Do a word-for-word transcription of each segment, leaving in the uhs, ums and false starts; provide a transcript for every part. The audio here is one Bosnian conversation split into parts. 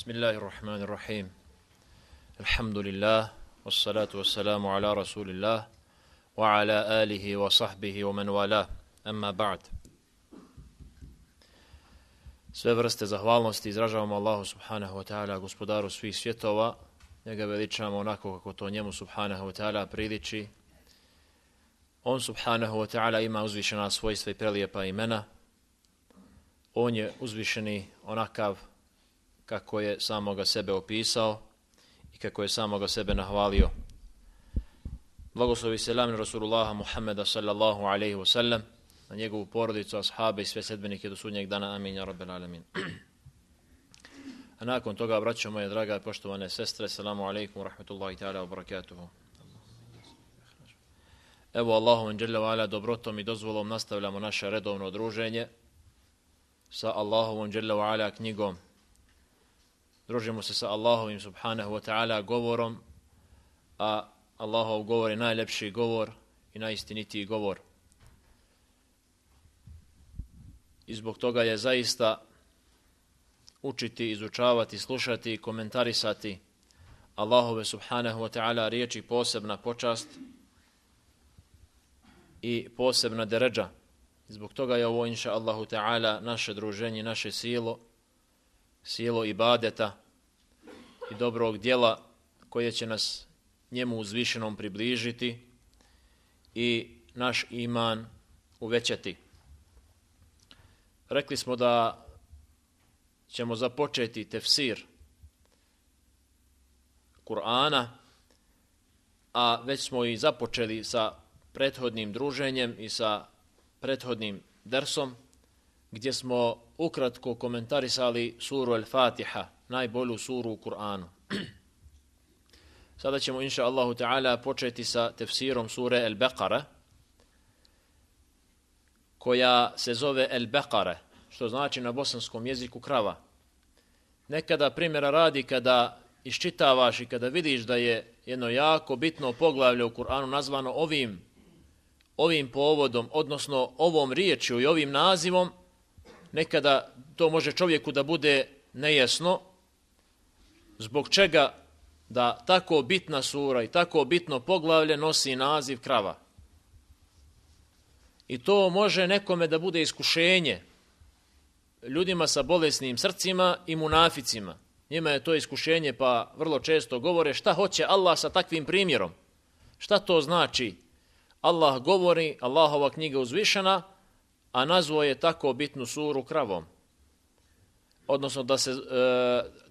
Bismillahirrahmanirrahim. Alhamdulillah, wassalatu wassalamu ala rasulillah, wa ala alihi wa sahbihi wa man wala, amma ba'd. Sve vrste zahvalnosti izražavamo Allahu subhanahu wa ta'ala, gospodaru svih svjetova, njega veličamo onako kako to njemu subhanahu wa ta'ala priliči. On subhanahu wa ta'ala ima uzvišena svojstva i prelijepa imena. On je uzvišeni onakav kako je samoga sebe opisao i kako je samoga sebe nahvalio. Blagoslovi selam na Rasulullaha Muhammeda sallallahu alaihi wa sallam, na njegovu porodicu, ashabe i sve sedbenike do sudnjeg dana. Amin, ja rabbel alamin. A nakon toga, braćo moje draga i poštovane sestre, selamu alaikum wa rahmatullahi ta'ala wa barakatuhu. Evo Allahom dželle ve ala dobrotom i dozvolom nastavljamo naše redovno druženje sa Allahovom dželle ve ala knjigom. Družimo se sa Allahovim subhanahu wa ta'ala govorom, a Allahov govor je najlepši govor i najistinitiji govor. I zbog toga je zaista učiti, izučavati, slušati i komentarisati Allahove subhanahu wa ta'ala riječi posebna počast i posebna deređa. Zbog toga je ovo, inša Allahu ta'ala, naše druženje, naše silo, silo ibadeta i dobrog djela koje će nas njemu uzvišenom približiti i naš iman uvećati. Rekli smo da ćemo započeti tefsir Kur'ana, a već smo i započeli sa prethodnim druženjem i sa prethodnim dersom, gdje smo ukratko komentarisali suru Al-Fatiha, najbolju suru u Kur'anu. Sada ćemo, inša Allahu ta'ala, početi sa tefsirom sure Al-Baqara, koja se zove Al-Baqara, što znači na bosanskom jeziku krava. Nekada primjera radi kada iščitavaš i kada vidiš da je jedno jako bitno poglavlje u Kur'anu nazvano ovim, ovim povodom, odnosno ovom riječju i ovim nazivom, nekada to može čovjeku da bude nejasno zbog čega da tako bitna sura i tako bitno poglavlje nosi naziv krava. I to može nekome da bude iskušenje ljudima sa bolesnim srcima i munaficima. Njima je to iskušenje, pa vrlo često govore šta hoće Allah sa takvim primjerom. Šta to znači? Allah govori, Allahova knjiga uzvišena, a nazvao je tako bitnu suru kravom. Odnosno da se e,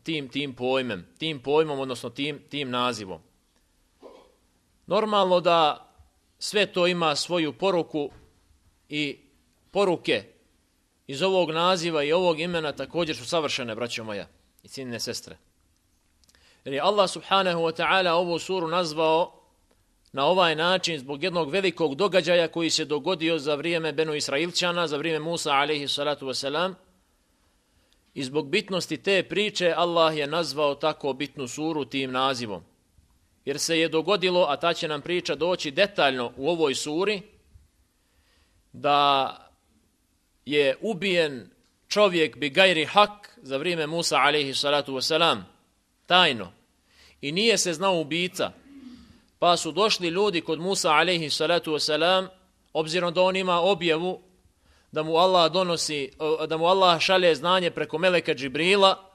tim tim pojmem, tim pojmom, odnosno tim tim nazivom. Normalno da sve to ima svoju poruku i poruke iz ovog naziva i ovog imena također su savršene, braćo moja i cijenjene sestre. Jer je Allah subhanahu wa ta'ala ovu suru nazvao na ovaj način zbog jednog velikog događaja koji se dogodio za vrijeme Benu Israilčana, za vrijeme Musa alaihi salatu wasalam. I zbog bitnosti te priče Allah je nazvao tako bitnu suru tim nazivom. Jer se je dogodilo, a ta će nam priča doći detaljno u ovoj suri, da je ubijen čovjek bi gajri hak za vrijeme Musa alaihi salatu wasalam, tajno. I nije se znao ubica. Pa su došli ljudi kod Musa alaihi salatu wasalam, obzirom da on ima objavu da mu Allah donosi, da mu Allah šalje znanje preko meleka Džibrila,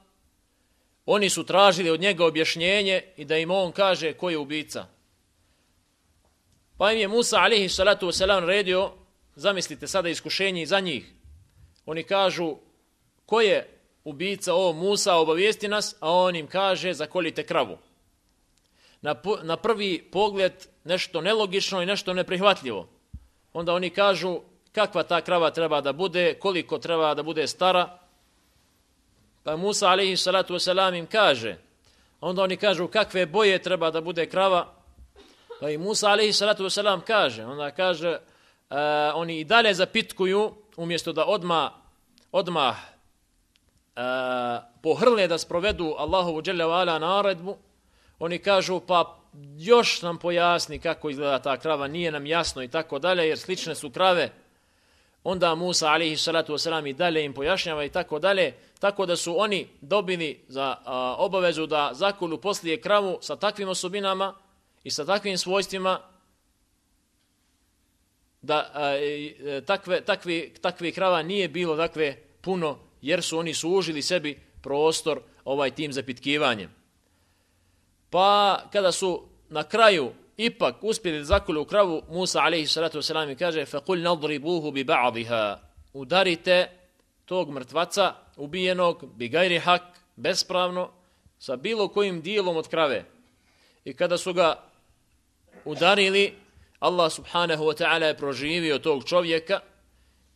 oni su tražili od njega objašnjenje i da im on kaže ko je ubica. Pa im je Musa alaihi salatu wasalam redio, zamislite sada iskušenje za njih. Oni kažu ko je ubica, o Musa, obavijesti nas, a on im kaže zakoljite kravu. Na, na prvi pogled nešto nelogično i nešto neprihvatljivo. Onda oni kažu kakva ta krava treba da bude, koliko treba da bude stara. Pa Musa alaihi salatu wasalam im kaže, onda oni kažu kakve boje treba da bude krava. Pa i Musa alaihi salatu wasalam kaže, onda kaže, uh, oni i dalje zapitkuju, umjesto da odmah, odmah uh, pohrle da sprovedu Allahovu dželle ve ala naredbu, oni kažu pa još nam pojasni kako izgleda ta krava, nije nam jasno i tako dalje, jer slične su krave onda Musa alejhi salatu vesselam i dalje im pojašnjava i tako dalje, tako da su oni dobili za a, obavezu da zakolju poslije kravu sa takvim osobinama i sa takvim svojstvima da a, e, takve, takvi, takvi krava nije bilo dakle puno, jer su oni sužili sebi prostor ovaj tim zapitkivanjem. Pa kada su na kraju ipak uspjeli da zakolju kravu, Musa alejhi salatu vesselam kaže faqul nadribuhu bi ba'dihha, udarite tog mrtvaca ubijenog bi gajri hak, bespravno, sa bilo kojim dijelom od krave. I kada su ga udarili, Allah subhanahu wa ta'ala je proživio tog čovjeka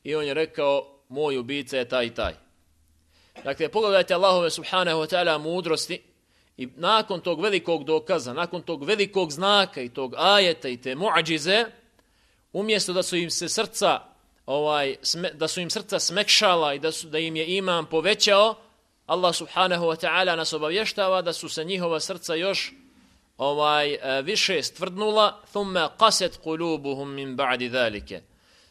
i on je rekao moj ubica je taj i taj. Dakle, pogledajte Allahove subhanahu wa ta'ala mudrosti i nakon tog velikog dokaza, nakon tog velikog znaka i tog ajeta i te muadžize, umjesto da su im se srca ovaj sme, da su im srca smekšala i da su da im je iman povećao, Allah subhanahu wa ta'ala nas obavještava da su se njihova srca još ovaj više stvrdnula, thumma qasat qulubuhum min ba'di zalika.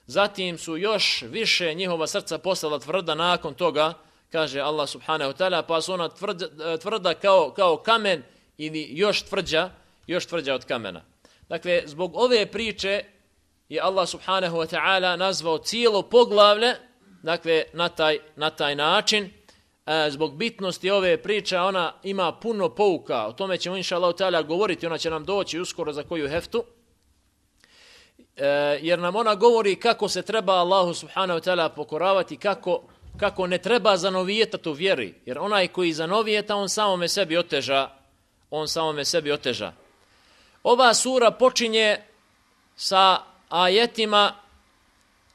Zatim su još više njihova srca postala tvrda nakon toga, kaže Allah subhanahu wa ta'ala, pa su ona tvrda, tvrda kao, kao kamen ili još tvrđa, još tvrđa od kamena. Dakle, zbog ove priče je Allah subhanahu wa ta'ala nazvao cijelo poglavlje, dakle, na taj, na taj način. E, zbog bitnosti ove priče, ona ima puno pouka, o tome ćemo inša Allah ta'ala govoriti, ona će nam doći uskoro za koju heftu, e, jer nam ona govori kako se treba Allahu subhanahu wa ta'ala pokoravati, kako kako ne treba zanovijetati u vjeri, jer onaj koji zanovijeta, on samome sebi oteža, on samome sebi oteža. Ova sura počinje sa ajetima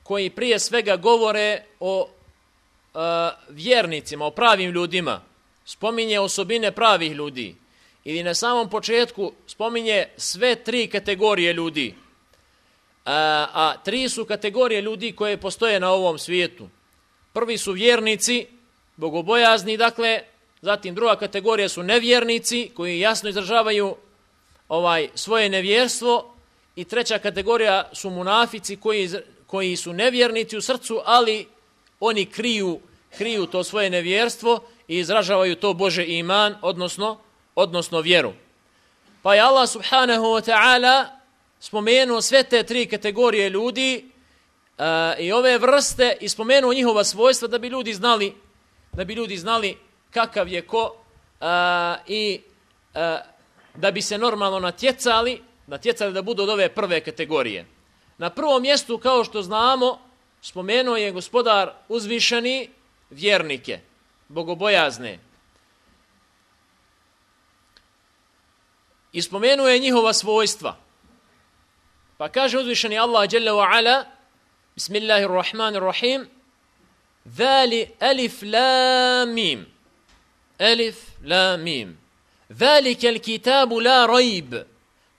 koji prije svega govore o uh, vjernicima, o pravim ljudima, spominje osobine pravih ljudi, ili na samom početku spominje sve tri kategorije ljudi, a, a tri su kategorije ljudi koje postoje na ovom svijetu. Prvi su vjernici, bogobojazni, dakle, zatim druga kategorija su nevjernici koji jasno izražavaju ovaj svoje nevjerstvo i treća kategorija su munafici koji, koji su nevjernici u srcu, ali oni kriju, kriju to svoje nevjerstvo i izražavaju to Bože iman, odnosno, odnosno vjeru. Pa je Allah subhanahu wa ta'ala spomenuo sve te tri kategorije ljudi Uh, i ove vrste i spomenuo njihova svojstva da bi ljudi znali da bi ljudi znali kakav je ko uh, i uh, da bi se normalno natjecali natjecali da budu od ove prve kategorije. Na prvom mjestu, kao što znamo, spomenuo je Gospodar uzvišeni vjernike, bogobojazne, i spomenuo je njihova svojstva. Pa kaže uzvišeni Allah dželle ve ala: Bismillahirrahmanirrahim. Zali alif lam mim. Alif lam mim. Zalika alkitabu la rajb.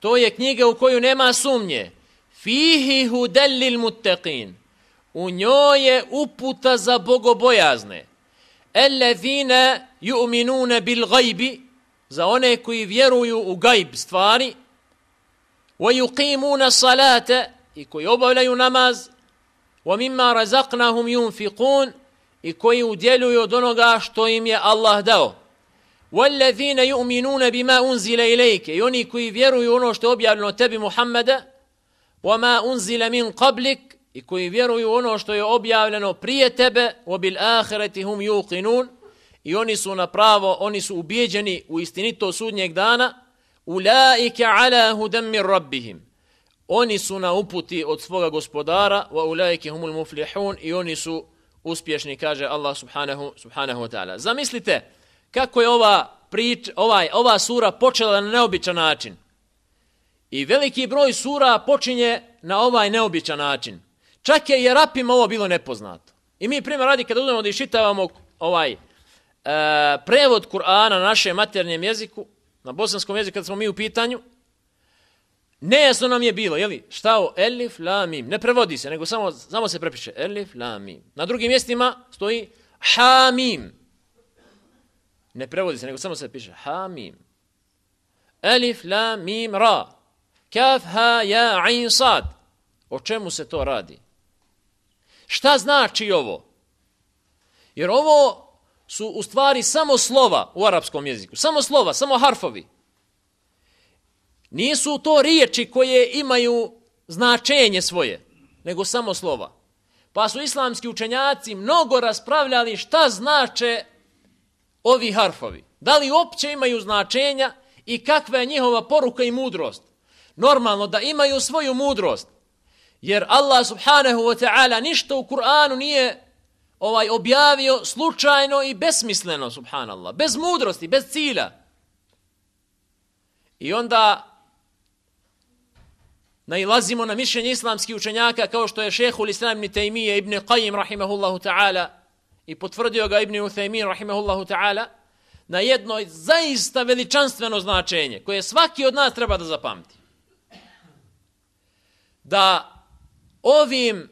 To je knjiga u koju nema sumnje. Fihi hudal lil muttaqin. U njoj je uputa za bogobojazne. Allazina yu'minuna bil gajbi. Za one koji vjeruju u gajb stvari. Wa yuqimuna salata. I koji obavljaju namaz. وَمِمَّا رَزَقْنَهُمْ يُنْفِقُونَ i koji udjeljuju od onoga što im je Allah dao. وَالَّذِينَ يُؤْمِنُونَ بِمَا أُنْزِلَ إِلَيْكَ i oni koji vjeruju ono što je objavljeno tebi Muhammeda, وَمَا أُنْزِلَ مِنْ قَبْلِكَ i koji vjeruju ono što je objavljeno prije tebe, وَبِالْآخِرَةِ هُمْ يُوقِنُونَ i oni su na pravo, oni su ubijeđeni u istinito sudnjeg dana. أُولَٰئِكَ عَلَى هُدًى مِنْ رَبِّهِمْ oni su na uputi od svoga gospodara, wa ulaike humul muflihun i oni su uspješni, kaže Allah subhanahu, subhanahu wa ta'ala. Zamislite kako je ova, prič, ovaj, ova sura počela na neobičan način. I veliki broj sura počinje na ovaj neobičan način. Čak je i Arapima ovo bilo nepoznato. I mi primjer radi kada uzmemo da iščitavamo ovaj, e, prevod Kur'ana na našem maternjem jeziku, na bosanskom jeziku kada smo mi u pitanju, nejasno nam je bilo, jeli, šta o elif, la, mim. Ne prevodi se, nego samo, samo se prepiše elif, la, mim. Na drugim mjestima stoji ha, mim. Ne prevodi se, nego samo se piše ha, mim. Elif, la, mim, ra. Kaf, ha, ja, ain, sad. O čemu se to radi? Šta znači ovo? Jer ovo su u stvari samo slova u arapskom jeziku. Samo slova, samo harfovi. Nisu to riječi koje imaju značenje svoje, nego samo slova. Pa su islamski učenjaci mnogo raspravljali šta znače ovi harfovi. Da li uopće imaju značenja i kakva je njihova poruka i mudrost. Normalno da imaju svoju mudrost. Jer Allah subhanahu wa ta'ala ništa u Kur'anu nije ovaj objavio slučajno i besmisleno, subhanallah. Bez mudrosti, bez cilja. I onda nailazimo na mišljenje islamskih učenjaka kao što je šehhul Islam ibn Tejmije ibn Qajim rahimahullahu ta'ala i potvrdio ga ibn Uthaymin rahimahullahu ta'ala na jedno zaista veličanstveno značenje koje svaki od nas treba da zapamti. Da ovim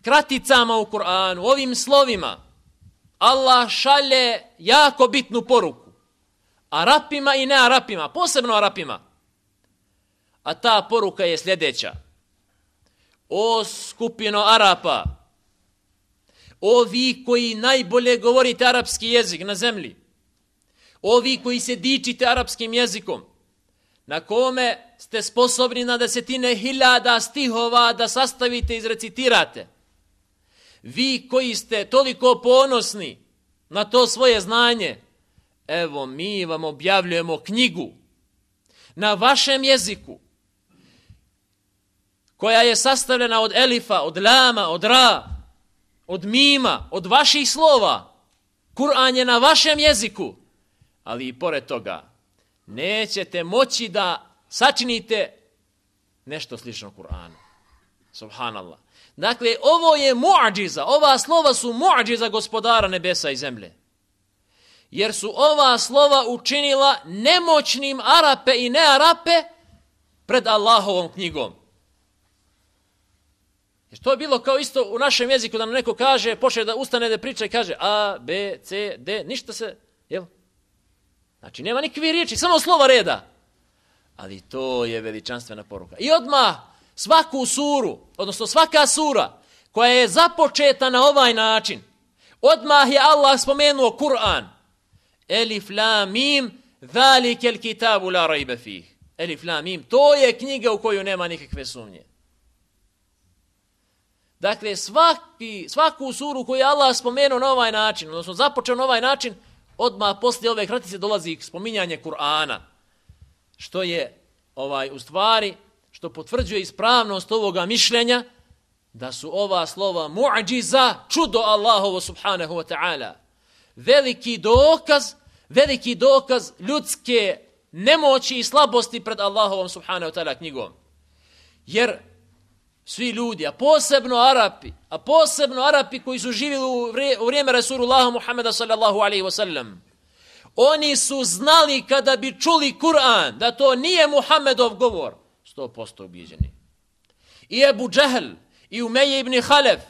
kraticama u Kur'anu, ovim slovima Allah šalje jako bitnu poruku Arapima i ne Arapima, posebno Arapima. A ta poruka je sljedeća. O skupino Arapa, o vi koji najbolje govorite arapski jezik na zemlji, o vi koji se dičite arapskim jezikom, na kome ste sposobni na desetine hiljada stihova da sastavite i izrecitirate, vi koji ste toliko ponosni na to svoje znanje, evo mi vam objavljujemo knjigu na vašem jeziku, koja je sastavljena od elifa, od lama, od ra, od mima, od vaših slova. Kur'an je na vašem jeziku, ali i pored toga nećete moći da sačinite nešto slično Kur'anu. Subhanallah. Dakle, ovo je muadžiza, ova slova su muadžiza gospodara nebesa i zemlje. Jer su ova slova učinila nemoćnim Arape i ne-Arape pred Allahovom knjigom. Jer to je bilo kao isto u našem jeziku da nam neko kaže, počne da ustane da priča i kaže A, B, C, D, ništa se, jel? Znači, nema nikakve riječi, samo slova reda. Ali to je veličanstvena poruka. I odmah svaku suru, odnosno svaka sura koja je započeta na ovaj način, odmah je Allah spomenuo Kur'an. Elif, la, mim, zalikel kitabu la rajbe fih. Elif, la, mim, to je knjiga u koju nema nikakve sumnje. Dakle, svaki, svaku suru koju je Allah spomenuo na ovaj način, odnosno započeo na ovaj način, odmah poslije ove kratice dolazi spominjanje Kur'ana. Što je ovaj u stvari, što potvrđuje ispravnost ovoga mišljenja, da su ova slova muadžiza, čudo Allahovo subhanahu wa ta'ala. Veliki dokaz, veliki dokaz ljudske nemoći i slabosti pred Allahovom subhanahu wa ta'ala knjigom. Jer svi ljudi, a posebno Arapi, a posebno Arapi koji su živjeli u vrijeme Rasulullaha Muhammeda sallallahu alaihi wasallam, oni su znali kada bi čuli Kur'an da to nije Muhammedov govor, sto posto ubijeđeni. I Ebu Džehl, i Umeje ibn Halef,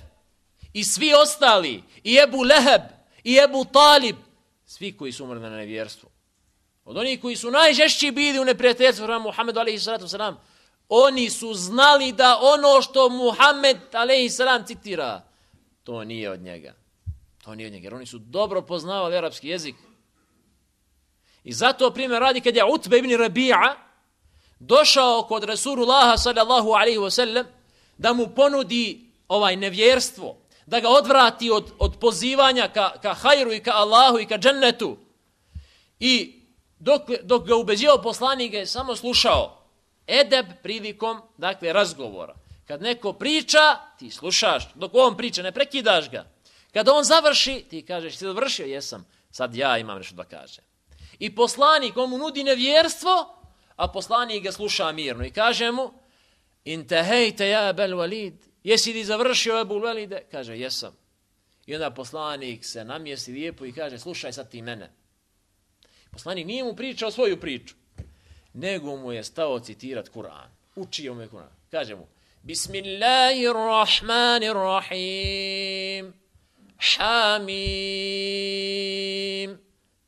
i svi ostali, i Ebu Leheb, i Ebu Talib, svi koji su umrli na nevjerstvu. Od onih koji su najžešći bili u neprijateljstvu prema Muhammedu alaihi salatu wasalam, oni su znali da ono što Muhammed alejhi selam citira, to nije od njega. To nije od njega, jer oni su dobro poznavali arapski jezik. I zato primjer radi kad je Utbe ibn Rabi'a došao kod Rasulullaha sallallahu alejhi ve sellem da mu ponudi ovaj nevjerstvo, da ga odvrati od, od pozivanja ka, ka hajru i ka Allahu i ka džennetu. I dok, dok ga ubeđivao poslanik je samo slušao. Edeb prilikom, dakle, razgovora. Kad neko priča, ti slušaš. Dok on priča, ne prekidaš ga. Kad on završi, ti kažeš, si završio? Jesam. Sad ja imam nešto da kažem. I poslanik, on mu nudi nevjerstvo, a poslanik ga sluša mirno. I kaže mu, intehejte ja Ebel Walid. Jesi li završio Ebu Walide? Kaže, jesam. I onda poslanik se namjesti lijepo i kaže, slušaj sad ti mene. Poslanik nije mu pričao svoju priču, nego mu je stao citirat Kur'an. Učio mu je Kur'an. Kaže mu, Bismillahirrahmanirrahim, Hamim,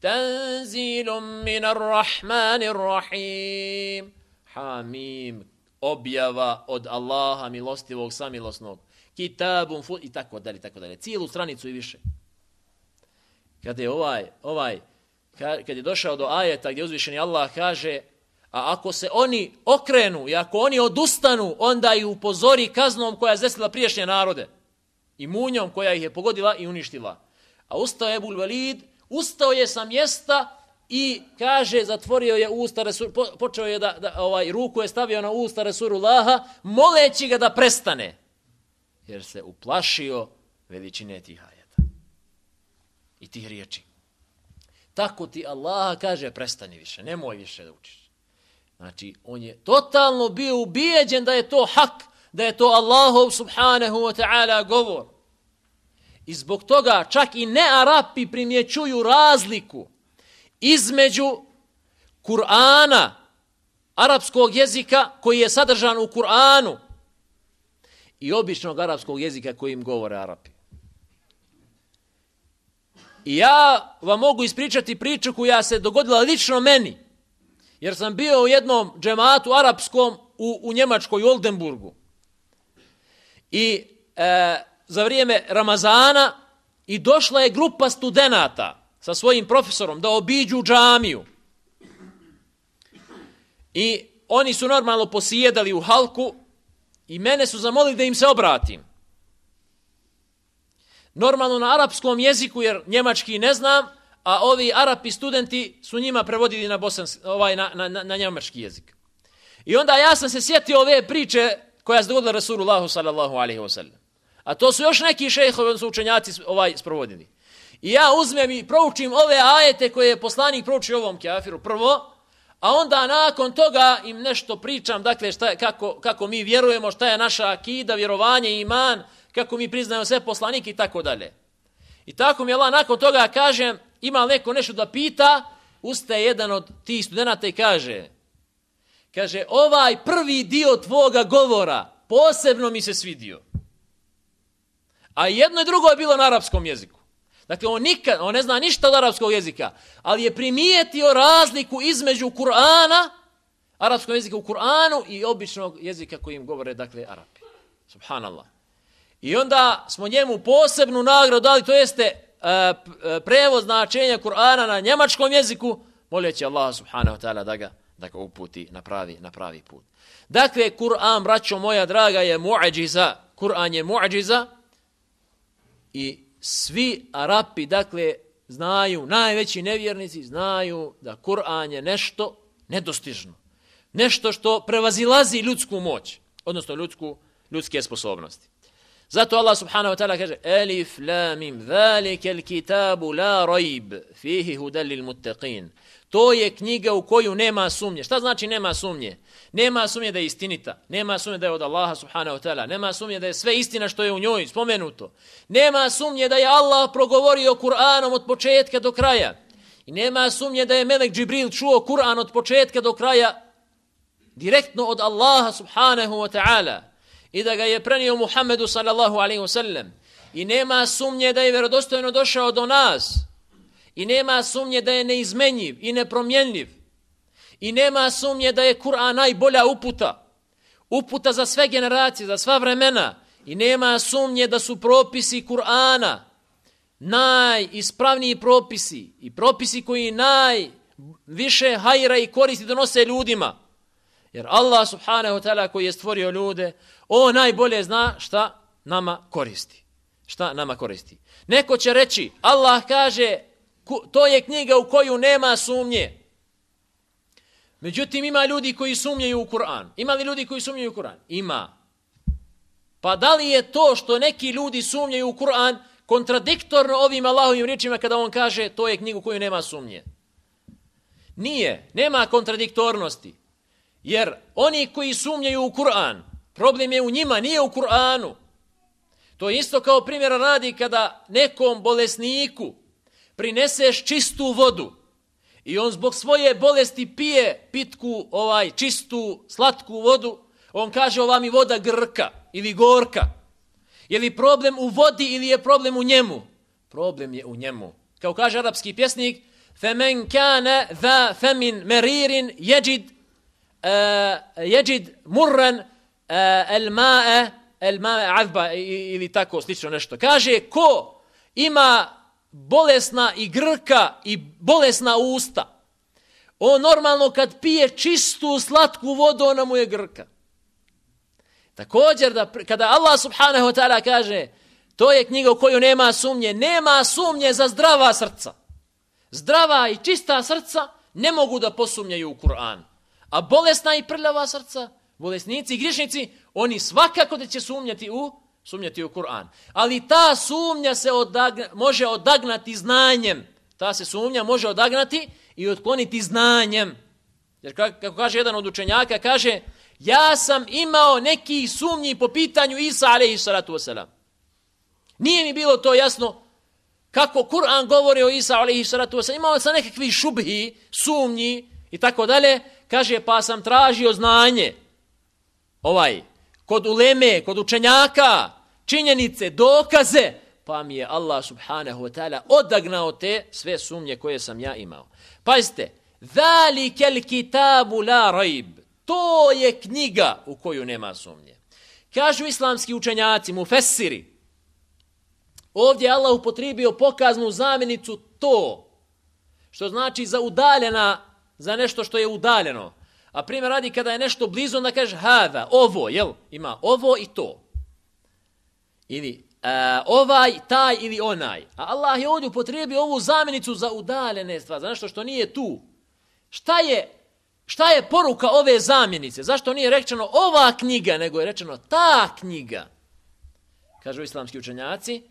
tanzilum minarrahmanirrahim. Hamim, objava od Allaha milostivog samilosnog, kitabun fu i tako dalje, tako dalje, cijelu stranicu i više. Kad je ovaj, ovaj, kad je došao do ajeta gdje uzvišeni Allah kaže, a ako se oni okrenu i ako oni odustanu, onda ih upozori kaznom koja je zdesila prijašnje narode i munjom koja ih je pogodila i uništila. A ustao je Ebul Velid, ustao je sa mjesta i kaže, zatvorio je usta Resul, po, počeo je da, da ovaj, ruku je stavio na usta Resulullaha, moleći ga da prestane, jer se uplašio veličine tih ajeta i tih riječi. Tako ti Allah kaže, prestani više, nemoj više da učiš. Znači, on je totalno bio ubijeđen da je to hak, da je to Allahov subhanahu wa ta'ala govor. I zbog toga čak i ne Arapi primjećuju razliku između Kur'ana, arapskog jezika koji je sadržan u Kur'anu i običnog arapskog jezika kojim govore Arapi. I ja vam mogu ispričati priču koja se dogodila lično meni, jer sam bio u jednom džematu arapskom u, u Njemačkoj, u Oldenburgu. I e, za vrijeme Ramazana i došla je grupa studenata sa svojim profesorom da obiđu džamiju. I oni su normalno posjedali u halku i mene su zamolili da im se obratim. Normalno na arapskom jeziku, jer njemački ne znam, a ovi Arapi studenti su njima prevodili na, bosanski, ovaj, na, na, na njemački jezik. I onda ja sam se sjetio ove priče koja se dogodila Rasulullahu sallallahu alaihi wa sallam. A to su još neki šejhovi, su učenjaci ovaj sprovodili. I ja uzmem i proučim ove ajete koje je poslanik proučio ovom kafiru prvo, a onda nakon toga im nešto pričam, dakle šta je, kako, kako mi vjerujemo, šta je naša akida, vjerovanje, iman, kako mi priznajemo sve poslanike i tako dalje. I tako mi Allah nakon toga kažem, ima neko nešto da pita, ustaje jedan od tih studenata i kaže, kaže, ovaj prvi dio tvoga govora posebno mi se svidio. A jedno i drugo je bilo na arapskom jeziku. Dakle, on, nikad, on ne zna ništa od arapskog jezika, ali je primijetio razliku između Kur'ana, arapskog jezika u Kur'anu i običnog jezika kojim govore, dakle, Arapi. Subhanallah. I onda smo njemu posebnu nagradu dali, to jeste uh, prevod značenja Kur'ana na njemačkom jeziku, moljeći Allah subhanahu wa ta'ala da ga, da ga uputi na pravi, na pravi put. Dakle, Kur'an, braćo moja draga, je mu'adžiza. Kur'an je mu'adžiza i svi Arapi, dakle, znaju, najveći nevjernici znaju da Kur'an je nešto nedostižno. Nešto što prevazilazi ljudsku moć, odnosno ljudsku, ljudske sposobnosti. Zato Allah subhanahu wa ta'ala kaže Alif, la, mim, zalike il kitabu la rajb, fihi hudal lil muttaqin. To je knjiga u koju nema sumnje. Šta znači nema sumnje? Nema sumnje da je istinita. Nema sumnje da je od Allaha subhanahu wa ta'ala. Nema sumnje da je sve istina što je u njoj spomenuto. Nema sumnje da je Allah progovorio Kur'anom od početka do kraja. I nema sumnje da je Melek Džibril čuo Kur'an od početka do kraja direktno od Allaha subhanahu wa ta'ala. I da ga je prenio Muhammedu sallallahu alaihi wa sallam. I nema sumnje da je vjerodostojno došao do nas. I nema sumnje da je neizmenjiv i nepromjenljiv. I nema sumnje da je Kur'an najbolja uputa. Uputa za sve generacije, za sva vremena. I nema sumnje da su propisi Kur'ana najispravniji propisi. I propisi koji najviše hajra i koristi donose ljudima. Jer Allah subhanahu wa ta'ala koji je stvorio ljude, on najbolje zna šta nama koristi. Šta nama koristi. Neko će reći, Allah kaže, to je knjiga u koju nema sumnje. Međutim, ima ljudi koji sumnjaju u Kur'an. Ima li ljudi koji sumnjaju u Kur'an? Ima. Pa da li je to što neki ljudi sumnjaju u Kur'an kontradiktorno ovim Allahovim riječima kada on kaže to je knjiga u koju nema sumnje? Nije. Nema kontradiktornosti. Jer oni koji sumnjaju u Kur'an, problem je u njima, nije u Kur'anu. To je isto kao primjera radi kada nekom bolesniku prineseš čistu vodu i on zbog svoje bolesti pije pitku, ovaj čistu, slatku vodu, on kaže ova mi voda grka ili gorka. Je li problem u vodi ili je problem u njemu? Problem je u njemu. Kao kaže arapski pjesnik, فَمَنْ كَانَ ذَا فَمِنْ مَرِيرٍ يَجِدْ jeđid murran el ma'e el ma'e azba ili tako slično nešto. Kaže, ko ima bolesna i grka i bolesna usta, on normalno kad pije čistu slatku vodu, ona mu je grka. Također, da, kada Allah subhanahu wa ta'ala kaže, to je knjiga u koju nema sumnje, nema sumnje za zdrava srca. Zdrava i čista srca ne mogu da posumnjaju u Kur'an. A bolesna i prljava srca, bolesnici i grišnici, oni svakako da će sumnjati u, sumnjati u Kur'an. Ali ta sumnja se odagna, može odagnati znanjem. Ta se sumnja može odagnati i otkloniti znanjem. Jer kako kaže jedan od učenjaka, kaže, ja sam imao neki sumnji po pitanju Isa alejhi salatu vesselam. Nije mi bilo to jasno kako Kur'an govori o Isa alejhi salatu vesselam. Imao sam nekakvi šubhi, sumnji i tako dalje. Kaže, pa sam tražio znanje. Ovaj, kod uleme, kod učenjaka, činjenice, dokaze, pa mi je Allah subhanahu wa ta'ala odagnao te sve sumnje koje sam ja imao. Pazite, zalikel kitabu la rajb. To je knjiga u koju nema sumnje. Kažu islamski učenjaci, mufessiri, ovdje je Allah upotrijebio pokaznu zamjenicu to, što znači za udaljena, za nešto što je udaljeno. A primjer radi kada je nešto blizu, onda kaže hada, ovo, jel? Ima ovo i to. Ili uh, ovaj, taj ili onaj. A Allah je ovdje upotrijebio ovu zamjenicu za udaljene stvari, za nešto što nije tu. Šta je, šta je poruka ove zamjenice? Zašto nije rečeno ova knjiga, nego je rečeno ta knjiga? Kažu islamski učenjaci,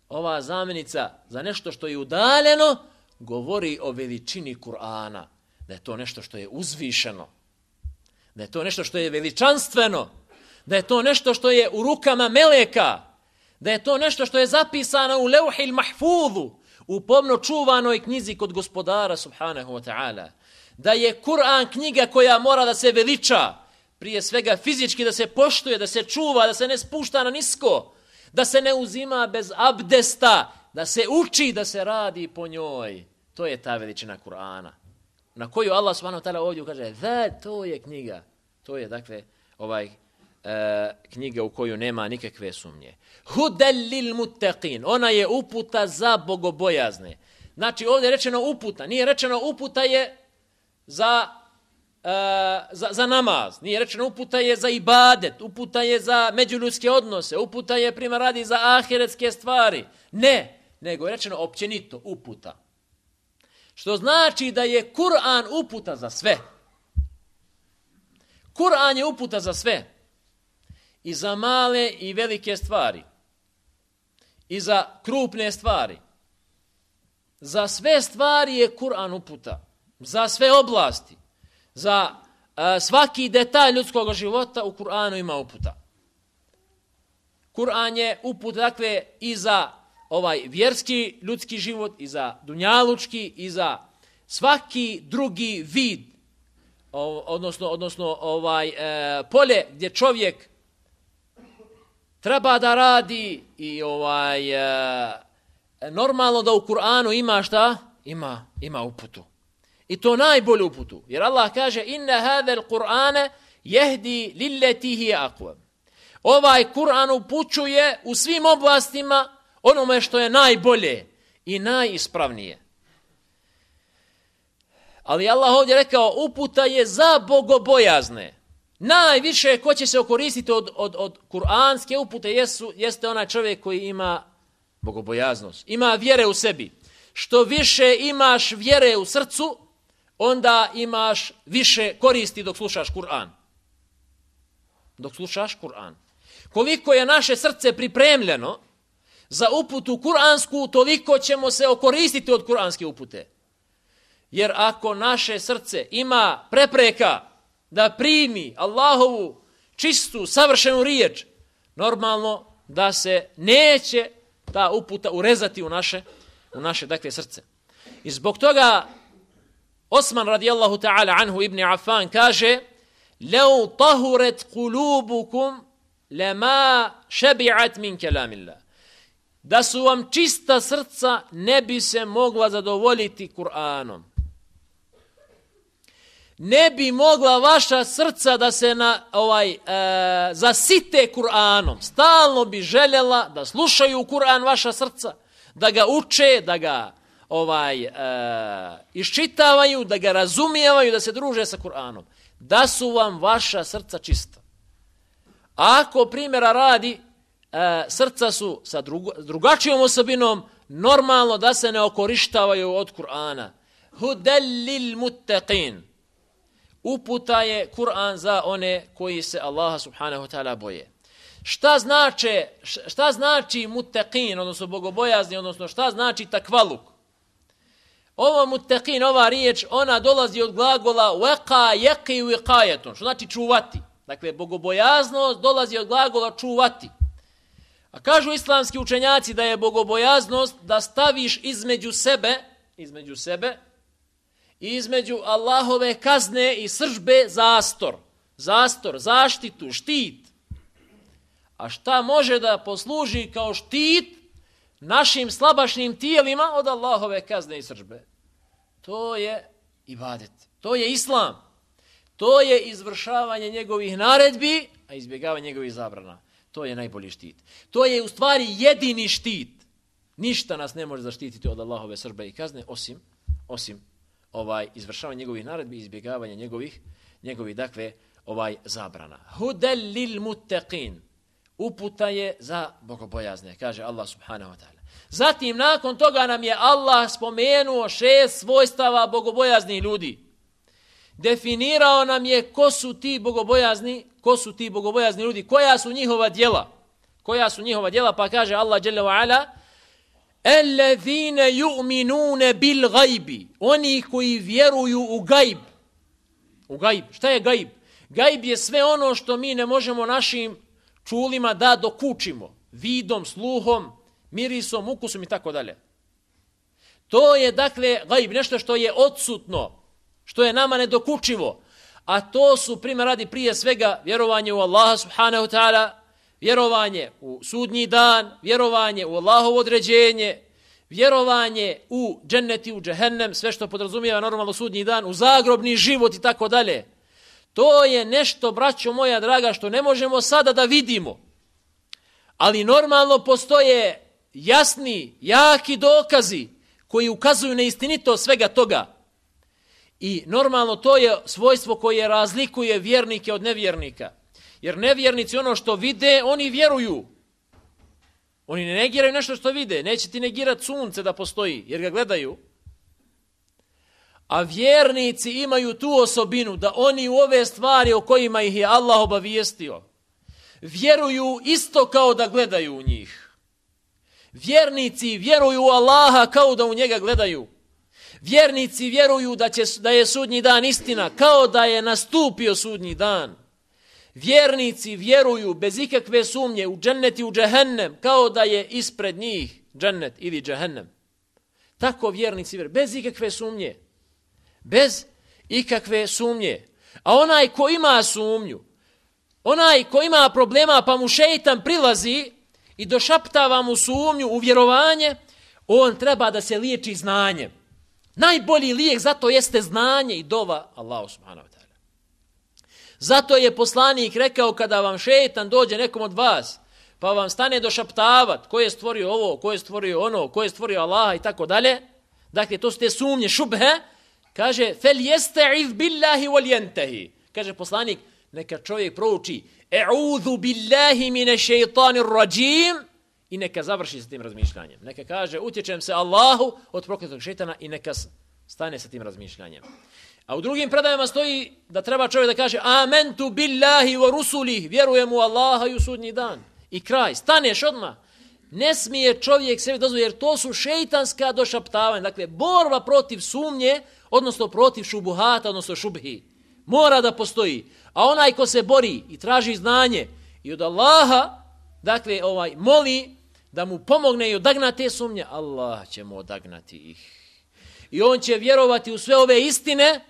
ova zamjenica za nešto što je udaljeno govori o veličini Kur'ana. Da je to nešto što je uzvišeno. Da je to nešto što je veličanstveno. Da je to nešto što je u rukama meleka. Da je to nešto što je zapisano u leuhil mahfuzu, u pomno čuvanoj knjizi kod gospodara subhanahu wa ta'ala. Da je Kur'an knjiga koja mora da se veliča, prije svega fizički da se poštuje, da se čuva, da se ne spušta na nisko, da se ne uzima bez abdesta, da se uči, da se radi po njoj. To je ta veličina Kur'ana. Na koju Allah subhanahu wa ta'ala ovdje kaže, da, to je knjiga. To je, dakle, ovaj e, knjiga u koju nema nikakve sumnje. Hudel lil muttaqin. Ona je uputa za bogobojazne. Znači, ovdje je rečeno uputa. Nije rečeno uputa je za, e, za, za namaz. Nije rečeno uputa je za ibadet. Uputa je za međuljudske odnose. Uputa je, primjer radi, za ahiretske stvari. Ne, nego je rečeno općenito uputa. Što znači da je Kur'an uputa za sve. Kur'an je uputa za sve. I za male i velike stvari. I za krupne stvari. Za sve stvari je Kur'an uputa. Za sve oblasti. Za uh, svaki detalj ljudskog života u Kur'anu ima uputa. Kur'an je uputa, dakle, i za ovaj vjerski ljudski život, i za dunjalučki, i za svaki drugi vid, odnosno, odnosno ovaj e, polje gdje čovjek treba da radi i ovaj e, normalno da u Kur'anu ima šta? Ima, ima uputu. I to najbolju uputu. Jer Allah kaže, inna hadhal Kur'ana yahdi lillati hiya aqwam. Ovaj Kur'an upućuje u svim oblastima onome što je najbolje i najispravnije. Ali Allah ovdje rekao, uputa je za bogobojazne. Najviše ko će se okoristiti od, od, od kuranske upute jesu, jeste onaj čovjek koji ima bogobojaznost. Ima vjere u sebi. Što više imaš vjere u srcu, onda imaš više koristi dok slušaš Kur'an. Dok slušaš Kur'an. Koliko je naše srce pripremljeno za uputu kuransku, toliko ćemo se okoristiti od kuranske upute. Jer ako naše srce ima prepreka da primi Allahovu čistu, savršenu riječ, normalno da se neće ta uputa urezati u naše, u naše dakle, srce. I zbog toga Osman radijallahu ta'ala anhu ibn Affan kaže, لَوْ طَهُرَتْ قُلُوبُكُمْ لَمَا شَبِعَتْ مِنْ كَلَامِ اللَّهِ. Da su vam čista srca, ne bi se mogla zadovoljiti Kur'anom. ne bi mogla vaša srca da se na ovaj e, zasite Kur'anom. Stalno bi željela da slušaju Kur'an vaša srca, da ga uče, da ga ovaj e, iščitavaju, da ga razumijevaju, da se druže sa Kur'anom. Da su vam vaša srca čista. Ako primjera radi, e, srca su sa drugo, drugačijom osobinom, normalno da se ne okorištavaju od Kur'ana. Hudellil muttaqin. Uputa je Kur'an za one koji se Allaha subhanahu wa ta'ala boje. Šta znači, šta znači muttaqin, odnosno bogobojazni, odnosno šta znači takvaluk? Ovo muttaqin, ova riječ, ona dolazi od glagola waqa yaqi wiqayatun, što znači čuvati. Dakle, bogobojaznost dolazi od glagola čuvati. A kažu islamski učenjaci da je bogobojaznost da staviš između sebe, između sebe i između Allahove kazne i sržbe zastor. Zastor, zaštitu, štit. A šta može da posluži kao štit našim slabašnim tijelima od Allahove kazne i sržbe? To je ibadet. To je islam. To je izvršavanje njegovih naredbi, a izbjegavanje njegovih zabrana. To je najbolji štit. To je u stvari jedini štit. Ništa nas ne može zaštititi od Allahove sržbe i kazne osim osim ovaj izvršavanje njegovih naredbi i izbjegavanje njegovih njegovih dakle ovaj zabrana. Hudel lil muttaqin. Uputa je za bogobojazne, kaže Allah subhanahu wa ta'ala. Zatim nakon toga nam je Allah spomenuo šest svojstava bogobojaznih ljudi. Definirao nam je ko su ti bogobojazni, ko su ti bogobojazni ljudi, koja su njihova djela. Koja su njihova djela, pa kaže Allah dželle ve ala: "Ellezine yu'minune bil gajbi", oni koji vjeruju u gajb. U gajb. Šta je gajb? Gajb je sve ono što mi ne možemo našim čulima da dokučimo, vidom, sluhom, mirisom, ukusom i tako dalje. To je dakle gajb, nešto što je odsutno, što je nama nedokučivo, a to su primjer radi prije svega vjerovanje u Allaha subhanahu wa ta'ala, vjerovanje u sudnji dan, vjerovanje u Allahovo određenje, vjerovanje u džennet i u džehennem, sve što podrazumijeva normalno sudnji dan, u zagrobni život i tako dalje. To je nešto, braćo moja draga, što ne možemo sada da vidimo. Ali normalno postoje jasni, jaki dokazi koji ukazuju na istinitost svega toga. I normalno to je svojstvo koje razlikuje vjernike od nevjernika. Jer nevjernici ono što vide, oni vjeruju. Oni ne negiraju nešto što vide. Neće ti negirati sunce da postoji, jer ga gledaju. A vjernici imaju tu osobinu da oni u ove stvari o kojima ih je Allah obavijestio vjeruju isto kao da gledaju u njih. Vjernici vjeruju u Allaha kao da u njega gledaju. Vjernici vjeruju da, će, da je sudnji dan istina kao da je nastupio sudnji dan. Vjernici vjeruju bez ikakve sumnje u džennet i u džehennem kao da je ispred njih džennet ili džehennem. Tako vjernici vjeruju bez ikakve sumnje. Bez ikakve sumnje. A onaj ko ima sumnju, onaj ko ima problema pa mu šejtan prilazi i došaptava mu sumnju u vjerovanje, on treba da se liječi znanjem. Najbolji lijek zato jeste znanje i dova Allahu subhanahu wa ta'ala. Zato je poslanik rekao kada vam šejtan dođe nekom od vas, pa vam stane došaptavat ko je stvorio ovo, ko je stvorio ono, ko je stvorio Allaha i tako dalje. Dakle, to su te sumnje, šubhe. Kaže, fel jeste'iz billahi wal yantahi. Kaže poslanik, neka čovjek prouči e'udhu billahi mine šeitanir rajim i neka završi sa tim razmišljanjem. Neka kaže, utječem se Allahu od prokletog šeitana i neka stane sa tim razmišljanjem. A u drugim predajama stoji da treba čovjek da kaže amentu billahi wa rusulih, vjerujem u Allaha i u sudnji dan. I kraj, staneš odmah. Ne smije čovjek sebi dozvoliti, jer to su šeitanska došaptavanja. Dakle, borba protiv sumnje, odnosno protiv šubuhata, odnosno šubhi. Mora da postoji. A onaj ko se bori i traži znanje i od Allaha, dakle, ovaj moli da mu pomogne i odagna te sumnje, Allah će mu odagnati ih. I on će vjerovati u sve ove istine,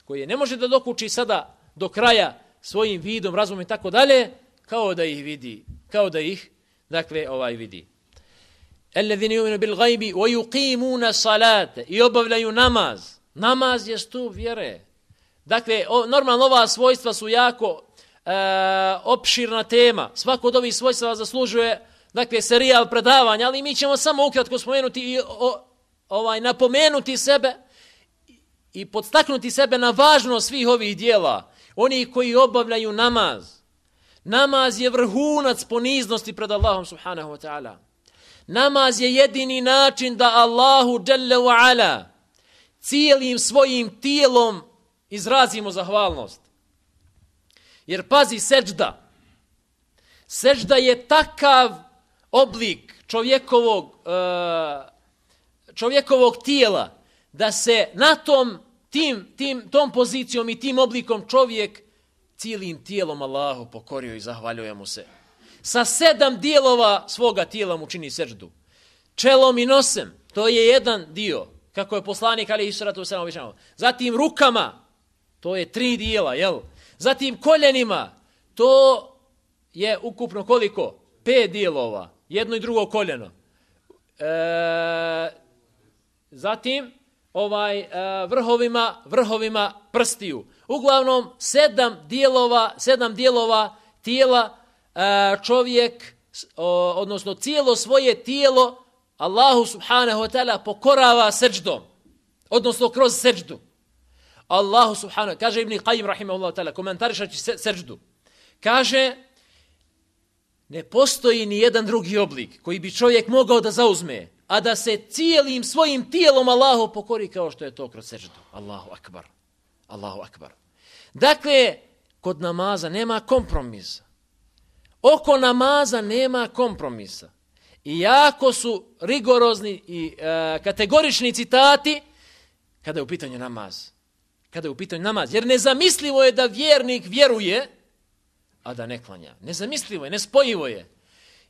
koje ne može da dokuči sada do kraja svojim vidom, razumom i tako dalje, kao da ih vidi, kao da ih, dakle, ovaj vidi. Ellezine yu'minu bil gajbi wa yuqimuna salate, i obavljaju namaz. Namaz je stup vjere. Dakle, o, normalno ova svojstva su jako e, opširna tema. Svako od ovih svojstva zaslužuje, dakle, serijal predavanja, ali mi ćemo samo ukratko spomenuti i o, ovaj, napomenuti sebe i podstaknuti sebe na važnost svih ovih dijela. Oni koji obavljaju namaz. Namaz je vrhunac poniznosti pred Allahom subhanahu wa ta'ala. Namaz je jedini način da Allahu dželle wa ala cijelim svojim tijelom izrazimo zahvalnost. Jer pazi, seđda. Seđda je takav oblik čovjekovog, čovjekovog tijela da se na tom, tim, tim, tom pozicijom i tim oblikom čovjek cijelim tijelom Allahu pokorio i zahvaljuje mu se. Sa sedam dijelova svoga tijela mu čini seđdu. Čelom i nosem, to je jedan dio, kako je poslanik alejhi salatu vesselam običavao. Zatim rukama, to je tri dijela, jel? Zatim koljenima, to je ukupno koliko? Pet dijelova, jedno i drugo koljeno. E, zatim ovaj e, vrhovima, vrhovima prstiju. Uglavnom sedam dijelova, sedam dijelova tijela e, čovjek, o, odnosno cijelo svoje tijelo Allahu subhanahu wa ta'ala pokorava seđdom, odnosno kroz seđdu. Allahu subhanahu, kaže Ibn Qayyim rahimahullahu ta'ala, komentarišaći seđdu, kaže, ne postoji ni jedan drugi oblik koji bi čovjek mogao da zauzme, a da se cijelim svojim tijelom Allahu pokori kao što je to kroz seđdu. Allahu akbar. Allahu akbar. Dakle, kod namaza nema kompromisa. Oko namaza nema kompromisa. I jako su rigorozni i e, kategorični citati kada je u pitanju namaz. Kada je u pitanju namaz. Jer nezamislivo je da vjernik vjeruje, a da ne klanja. Nezamislivo je, nespojivo je.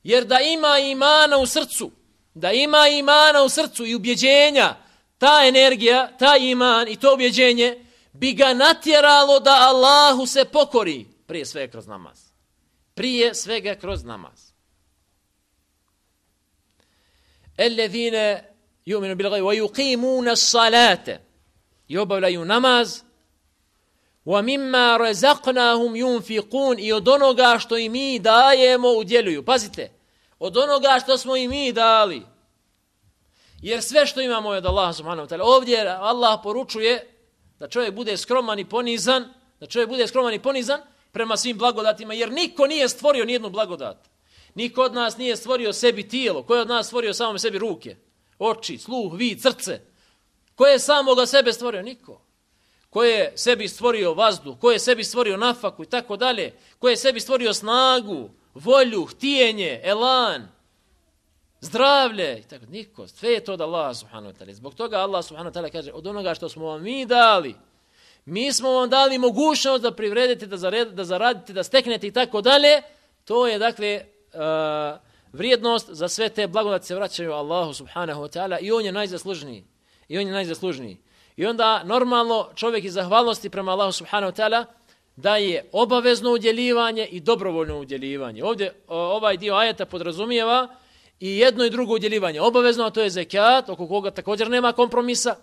Jer da ima imana u srcu, da ima imana u srcu i ubjeđenja, ta energija, ta iman i to ubjeđenje bi ga natjeralo da Allahu se pokori prije svega kroz namaz. Prije svega kroz namaz. Ellezine yu'minu bil gajbi wa yuqimuna as-salate, i obavljaju namaz, wa mimma razaqnahum yunfiqun, i od onoga što im mi dajemo udjeljuju. Pazite, od onoga što smo im mi dali. Jer sve što imamo je od Allaha subhanahu wa ta'ala. Ovdje Allah poručuje da čovjek bude skroman i ponizan, da čovjek bude skroman i ponizan prema svim blagodatima, jer niko nije stvorio nijednu blagodat. Niko od nas nije stvorio sebi tijelo. Ko je od nas stvorio samo sebi ruke, oči, sluh, vid, srce? Ko je samoga sebe stvorio? Niko. Ko je sebi stvorio vazduh, ko je sebi stvorio nafaku i tako dalje, ko je sebi stvorio snagu, volju, htijenje, elan, zdravlje i tako. Niko. Sve je to od Allaha subhanahu wa ta'ala. Zbog toga Allah subhanahu wa ta'ala kaže, od onoga što smo vam mi dali, mi smo vam dali mogućnost da privredite, da, zared, da zaradite, da steknete i tako dalje. To je, dakle, uh, vrijednost za sve te blagodati se vraćaju Allahu subhanahu wa ta'ala i on je najzaslužniji. I on je najzaslužniji. I onda normalno čovjek iz zahvalnosti prema Allahu subhanahu wa ta'ala daje obavezno udjeljivanje i dobrovoljno udjeljivanje. Ovdje ovaj dio ajeta podrazumijeva i jedno i drugo udjeljivanje. Obavezno, a to je zekat, oko koga također nema kompromisa.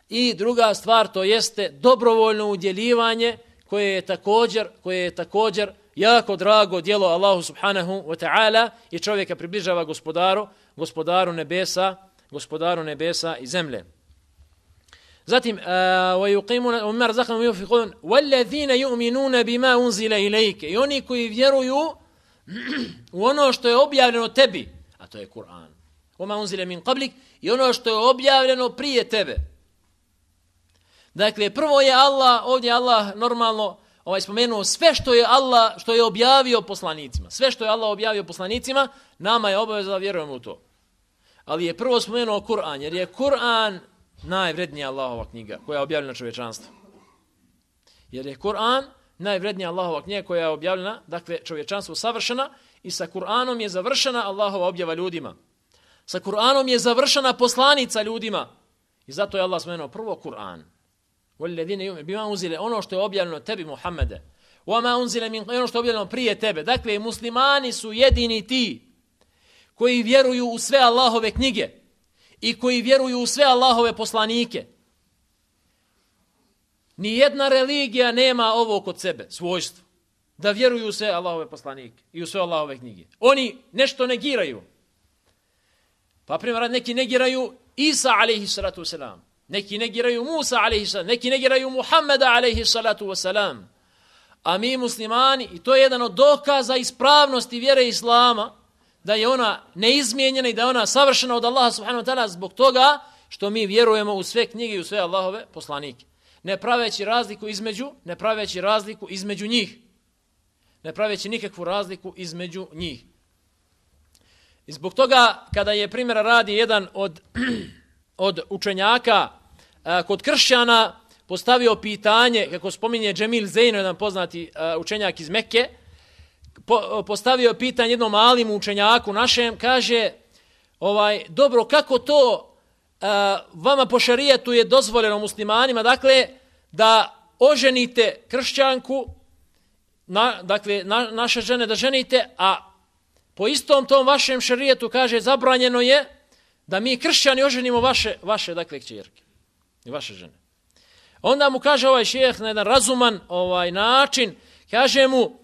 I druga stvar, to jeste dobrovoljno udjeljivanje koje je također, koje je također jako drago djelo Allahu subhanahu wa ta'ala i čovjeka približava gospodaru, gospodaru nebesa, gospodaru nebesa i zemlje. Zatim, وَيُقِيمُونَ وَمِمَّا رَزَقْنَهُمْ يُنْفِقُونَ وَالَّذِينَ يُؤْمِنُونَ بِمَا أُنْزِلَ إِلَيْكَ, i oni koji vjeruju u ono što je objavljeno tebi, a to je Kur'an. وَمَا أُنْزِلَ مِنْ قَبْلِكَ, i ono što je objavljeno prije tebe. Dakle, prvo je Allah, ovdje Allah normalno ovaj spomenuo sve što je Allah, što je objavio poslanicima. Sve što je Allah objavio poslanicima, nama je obaveza da vjerujemo u to. Ali je prvo spomenuo Kur'an, jer je Kur'an najvrednija Allahova knjiga koja je objavljena čovječanstvu. Jer je Kur'an najvrednija Allahova knjiga koja je objavljena, dakle čovječanstvo savršena, i sa Kur'anom je završena Allahova objava ljudima. Sa Kur'anom je završena poslanica ljudima. I zato je Allah spomenuo prvo Kur'an. وَالَّذِينَ يُؤْمِنُونَ بِمَا أُنْزِلَ, ono što je objavljeno tebi Muhammede. وَمَا أُنْزِلَ مِنْ, ono što je objavljeno prije tebe. Dakle, muslimani su jedini ti koji vjeruju u sve Allahove knjige i koji vjeruju u sve Allahove poslanike. Nijedna religija nema ovo kod sebe, svojstvo. Da vjeruju u sve Allahove poslanike i u sve Allahove knjige. Oni nešto negiraju. Pa primjer, neki negiraju Isa alejhi salatu wasalam. Neki negiraju Musa alejhi salam. Neki negiraju Muhammeda alejhi salatu wasalam. A mi muslimani, i to je jedan od dokaza ispravnosti vjere Islama, da je ona neizmijenjena i da je ona savršena od Allaha subhanahu wa ta'ala zbog toga što mi vjerujemo u sve knjige i u sve Allahove poslanike. Ne praveći razliku između, ne praveći razliku između njih. Ne praveći nikakvu razliku između njih. I zbog toga, kada je primjera radi jedan od, od učenjaka a, kod kršćana postavio pitanje, kako spominje Džemil Zejno, jedan poznati a, učenjak iz Mekke, po, postavio pitanje jednom malim učenjaku našem, kaže, ovaj, dobro, kako to a, vama po šerijetu je dozvoljeno muslimanima, dakle, da oženite kršćanku, na, dakle, na, naše žene da ženite, a po istom tom vašem šerijetu, kaže, zabranjeno je da mi kršćani oženimo vaše, vaše dakle, kćerke i vaše žene. Onda mu kaže ovaj šejh na jedan razuman ovaj način, kaže mu,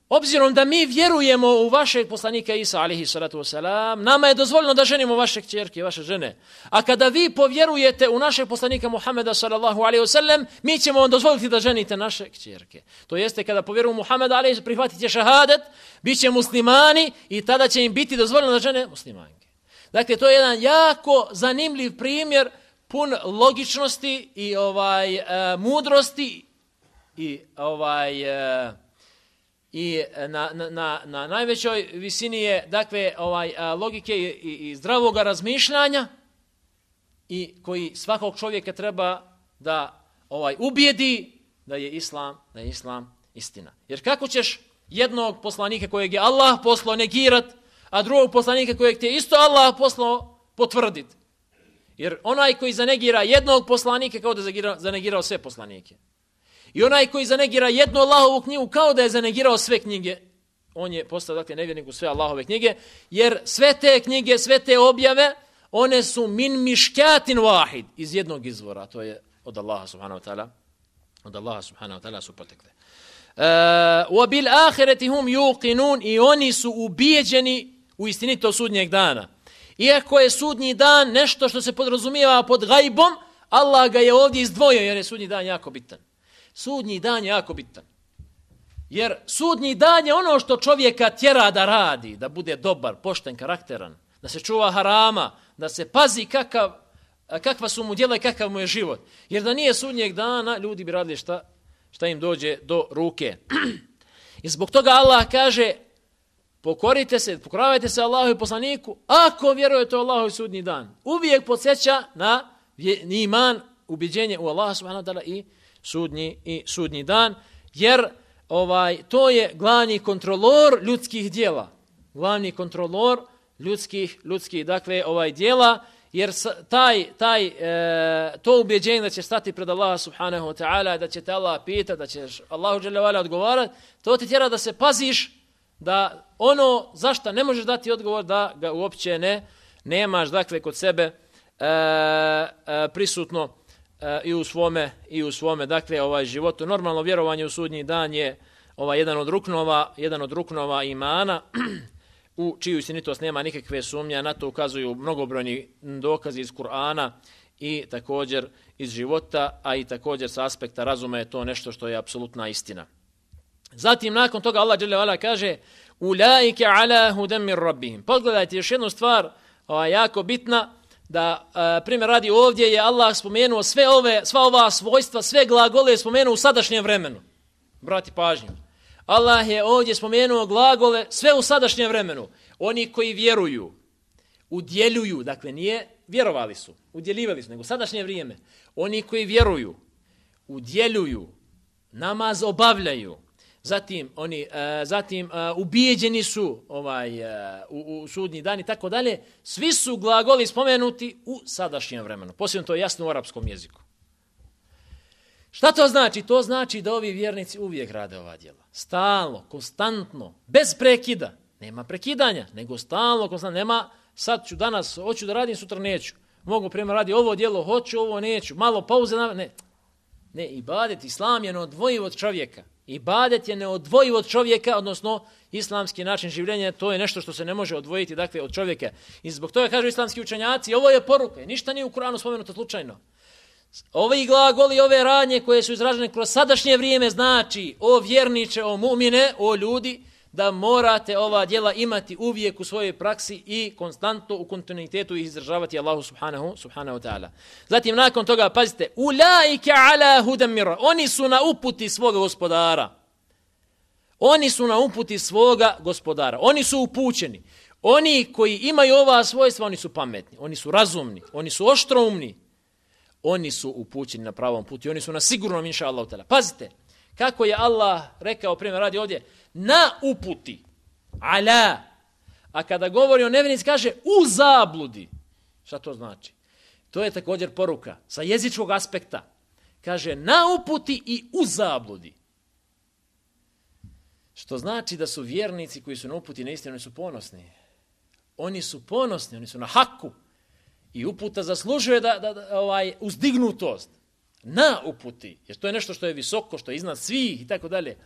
obzirom da mi vjerujemo u vašeg poslanika Isa alejhi salatu wasalam, nama je dozvoljeno da ženimo vaše kćerke i vaše žene. A kada vi povjerujete u našeg poslanika Muhameda sallallahu alejhi wasallam, mi ćemo vam dozvoliti da ženite naše kćerke. To jeste kada povjeruju u Muhameda alejhi prihvatite šehadet, biće muslimani i tada će im biti dozvoljeno da žene muslimanke. Dakle, to je jedan jako zanimljiv primjer, pun logičnosti i ovaj uh, mudrosti i ovaj uh, i na, na, na najvećoj visini je dakle ovaj a, logike i, i, i zdravog razmišljanja i koji svakog čovjeka treba da ovaj ubijedi da je islam, da je islam istina. Jer kako ćeš jednog poslanika kojeg je Allah poslao negirat, a drugog poslanika kojeg ti je isto Allah poslao potvrdit? Jer onaj koji zanegira jednog poslanika kao da je zanegirao sve poslanike. I onaj koji zanegira jednu Allahovu knjigu kao da je zanegirao sve knjige, on je postao dakle nevjernik u sve Allahove knjige, jer sve te knjige, sve te objave, one su min miškatin wahid, iz jednog izvora, to je od Allaha subhanahu wa ta'ala, od Allaha subhanahu wa ta'ala su potekle. Wa bil ahireti hum yuqinun, i oni su ubijeđeni u istinito sudnjeg dana. Iako je sudnji dan nešto što se podrazumijeva pod gajbom, Allah ga je ovdje izdvojio jer je sudnji dan jako bitan. Sudnji dan je jako bitan. Jer sudnji dan je ono što čovjeka tjera da radi, da bude dobar, pošten, karakteran, da se čuva harama, da se pazi kakav, kakva su mu djela i kakav mu je život. Jer da nije sudnjeg dana, ljudi bi radili šta, šta im dođe do ruke. I zbog toga Allah kaže, pokorite se, pokoravajte se Allahu i poslaniku, ako vjerujete u Allahu i sudnji dan. Uvijek podsjeća na iman, ubjeđenje u Allaha subhanahu wa ta'ala i sudnji i sudnji dan, jer ovaj to je glavni kontrolor ljudskih djela. Glavni kontrolor ljudskih ljudskih dakle ovaj djela, jer taj taj e, to ubjeđenje da će stati pred Allaha subhanahu wa ta'ala, da će te Allah pitati, da ćeš Allahu dželle ve ala odgovarati, to ti tjera da se paziš da ono zašto ne možeš dati odgovor da ga uopće ne nemaš dakle kod sebe e, e, prisutno e, i u svome i u svome dakle ovaj životu. Normalno vjerovanje u sudnji dan je ovaj jedan od ruknova, jedan od ruknova imana u čiju istinitost nema nikakve sumnje, na to ukazuju mnogobrojni dokazi iz Kur'ana i također iz života, a i također sa aspekta razuma je to nešto što je apsolutna istina. Zatim nakon toga Allah dželle ve ala kaže ulaike ala hudan min rabbihim. Pogledajte još jednu stvar, ova jako bitna, da e, primjer radi ovdje je Allah spomenuo sve ove sva ova svojstva, sve glagole spomenuo u sadašnjem vremenu. Brati pažnju. Allah je ovdje spomenuo glagole sve u sadašnjem vremenu. Oni koji vjeruju, udjeljuju, dakle nije vjerovali su, udjeljivali su, nego sadašnje vrijeme. Oni koji vjeruju, udjeljuju, namaz obavljaju, zatim oni uh, zatim uh, ubijeđeni su ovaj uh, u, u sudnji dan i tako dalje, svi su glagoli spomenuti u sadašnjem vremenu. Posebno to je jasno u arapskom jeziku. Šta to znači? To znači da ovi vjernici uvijek rade ova djela. Stalno, konstantno, bez prekida. Nema prekidanja, nego stalno, konstantno. Nema sad ću danas, hoću da radim, sutra neću. Mogu primjer radi ovo djelo, hoću, ovo neću. Malo pauze, ne. Ne, ibadet, islam je neodvojiv od čovjeka. Ibadet je neodvojiv od čovjeka, odnosno islamski način življenja, to je nešto što se ne može odvojiti dakle, od čovjeka. I zbog toga kažu islamski učenjaci, ovo je poruka, ništa nije u Kur'anu spomenuto slučajno. Ovi glagoli, ove radnje koje su izražene kroz sadašnje vrijeme znači o vjerniče, o mu'mine, o ljudi, da morate ova djela imati uvijek u svojoj praksi i konstantno u kontinuitetu ih izdržavati Allahu subhanahu, subhanahu ta'ala. Zatim nakon toga, pazite, ulaike ala hudam mir, oni su na uputi svoga gospodara. Oni su na uputi svoga gospodara. Oni su upućeni. Oni koji imaju ova svojstva, oni su pametni, oni su razumni, oni su oštroumni. Oni su upućeni na pravom putu i oni su na sigurnom, inša Allah. Pazite, kako je Allah rekao, primjer radi ovdje, na uputi, ala. A kada govori o nevjernici, kaže u zabludi. Šta to znači? To je također poruka sa jezičkog aspekta. Kaže na uputi i u zabludi. Što znači da su vjernici koji su na uputi na istinu, oni su ponosni. Oni su ponosni, oni su na haku. I uputa zaslužuje da, da, da ovaj uzdignutost na uputi, jer to je nešto što je visoko, što je iznad svih i tako dalje.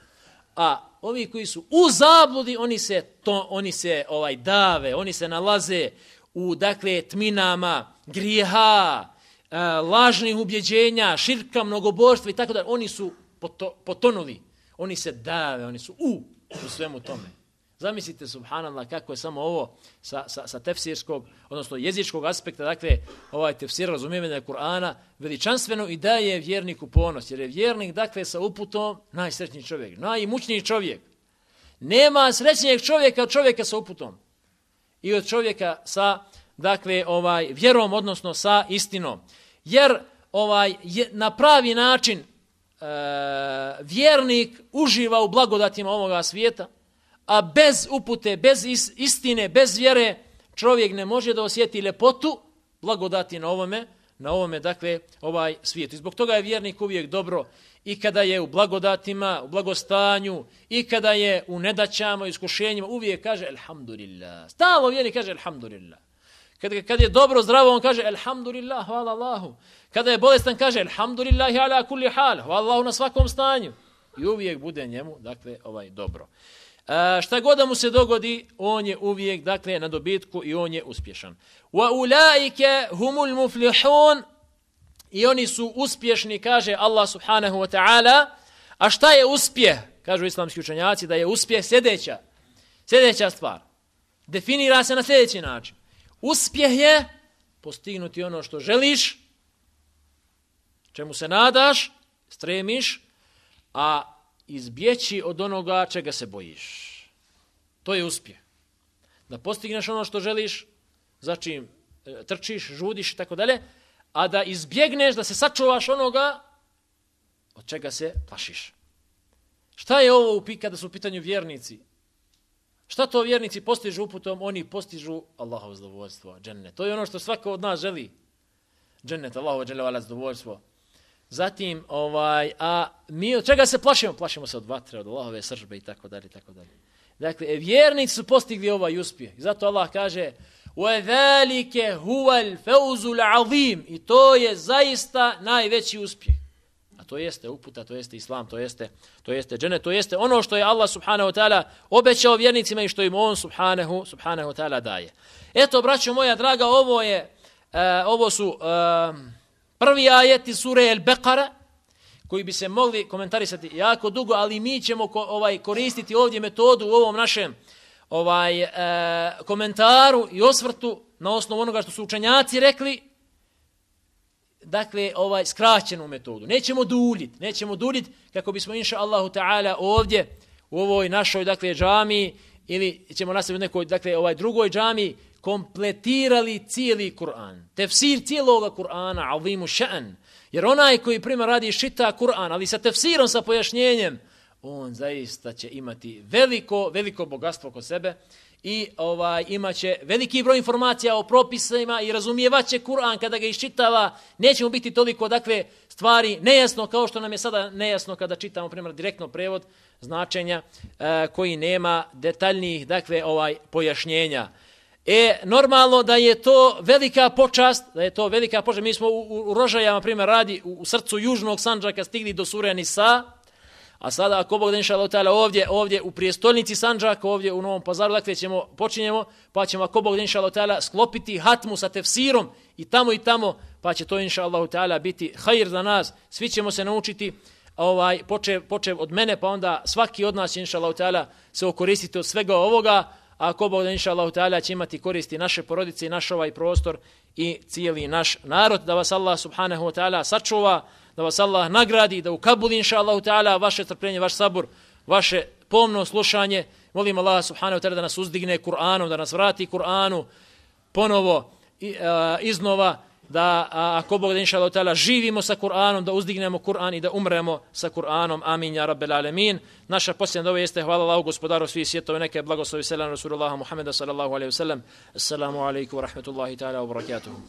A ovi koji su u zabludi, oni se to oni se ovaj dave, oni se nalaze u dakle tminama grijeha, e, lažnih ubjeđenja, širka, mnogobožstva i tako dalje. Oni su poto, potonuli, oni se dave, oni su u u svemu tome. Zamislite, subhanallah, kako je samo ovo sa, sa, sa tefsirskog, odnosno jezičkog aspekta, dakle, ovaj tefsir razumijevanja Kur'ana, veličanstveno i daje vjerniku ponos, jer je vjernik, dakle, sa uputom najsrećniji čovjek, najimućniji čovjek. Nema srećnijeg čovjeka od čovjeka sa uputom i od čovjeka sa, dakle, ovaj vjerom, odnosno sa istinom. Jer ovaj je, na pravi način e, vjernik uživa u blagodatima ovoga svijeta, a bez upute, bez istine, bez vjere, čovjek ne može da osjeti ljepotu blagodati na ovome, na ovome, dakle, ovaj svijetu. I zbog toga je vjernik uvijek dobro i kada je u blagodatima, u blagostanju, i kada je u nedaćama, u iskušenjima, uvijek kaže elhamdulillah. Stalno vjernik kaže elhamdulillah. Kad, kad je dobro, zdravo, on kaže elhamdulillah, hvala Allahu. Kada je bolestan, kaže elhamdulillah ala kulli hal, hvala Allahu na svakom stanju. I uvijek bude njemu, dakle, ovaj dobro. A, šta god da mu se dogodi, on je uvijek, dakle, na dobitku i on je uspješan. Wa ulaike humul muflihun, i oni su uspješni, kaže Allah subhanahu wa ta'ala. A šta je uspjeh? Kažu islamski učenjaci da je uspjeh sljedeća, sljedeća stvar. Definira se na sljedeći način. Uspjeh je postignuti ono što želiš, čemu se nadaš, stremiš, a izbjeći od onoga čega se bojiš. To je uspjeh. Da postigneš ono što želiš, za čim trčiš, žudiš i tako dalje, a da izbjegneš, da se sačuvaš onoga od čega se plašiš. Šta je ovo kada su u pitanju vjernici? Šta to vjernici postižu uputom? Oni postižu Allahovo zadovoljstvo, džennet. To je ono što svako od nas želi. Džennet, Allahovo dželevala zadovoljstvo. Zatim, ovaj, a mi od čega se plašimo? Plašimo se od vatre, od Allahove sržbe i tako dalje, tako dalje. Dakle, vjernici su postigli ovaj uspjeh. I zato Allah kaže وَذَلِكَ هُوَ الْفَوْزُ الْعَظِيمِ, i to je zaista najveći uspjeh. A to jeste uputa, to jeste islam, to jeste, to jeste džennet, to jeste ono što je Allah subhanahu wa ta'ala obećao vjernicima i što im on subhanahu, subhanahu wa ta'ala daje. Eto, braćo moja draga, ovo je, uh, ovo su uh, prvi ajeti sure El-Beqara, koji bi se mogli komentarisati jako dugo, ali mi ćemo ko, ovaj, koristiti ovdje metodu u ovom našem ovaj, uh, komentaru i osvrtu na osnovu onoga što su učenjaci rekli, dakle, ovaj skraćenu metodu. Nećemo duljiti, nećemo duljiti kako bismo, inša Allahu ta'ala, ovdje, u ovoj našoj, dakle, džamiji, ili ćemo nastaviti u nekoj, dakle, ovaj drugoj džamiji, kompletirali cijeli Kur'an. Tefsir cijeloga Kur'ana, azimu ša'an. Jer onaj koji prima radi šita Kur'an, ali sa tefsirom, sa pojašnjenjem, on zaista će imati veliko, veliko bogatstvo kod sebe i ovaj imaće veliki broj informacija o propisima i razumijevaće Kur'an kada ga iščitava. Nećemo biti toliko, dakle, stvari nejasno kao što nam je sada nejasno kada čitamo, primjer, direktno prevod značenja e, koji nema detaljnijih, dakle, ovaj pojašnjenja. E, normalno da je to velika počast, da je to velika počast. Mi smo u, u Rožajama, primjer, radi u, u srcu južnog Sandžaka stigli do sure Nisa, a sada ako Bog da inša Allah ovdje, ovdje u prijestolnici Sandžaka, ovdje u Novom Pazaru, dakle ćemo, počinjemo, pa ćemo ako Bog da inša Allah sklopiti hatmu sa tefsirom i tamo i tamo, pa će to inša Allah biti hajr za nas, svi ćemo se naučiti, ovaj, počev, počev od mene, pa onda svaki od nas inša Allah se okoristiti od svega ovoga, a ako Bog da inša Allah će imati koristi naše porodice i naš ovaj prostor i cijeli naš narod, da vas Allah subhanahu wa ta'ala sačuva, da vas Allah nagradi, da ukabuli inša Allah ta'ala vaše trpljenje, vaš sabur, vaše pomno slušanje. Molim Allah subhanahu wa ta'ala da nas uzdigne Kur'anom, da nas vrati Kur'anu ponovo i, a, iznova, da a, ako Bog da inša Allah ta'ala živimo sa Kur'anom, da uzdignemo Kur'an i da umremo sa Kur'anom. Amin, ja rabbel alemin. Naša posljedna dova jeste hvala Allahu gospodaru svih svjetova, neka je blagoslovi selam Rasulullaha Muhammeda sallallahu alaihi wa sallam. Assalamu alaikum wa rahmatullahi ta'ala wa barakatuhu.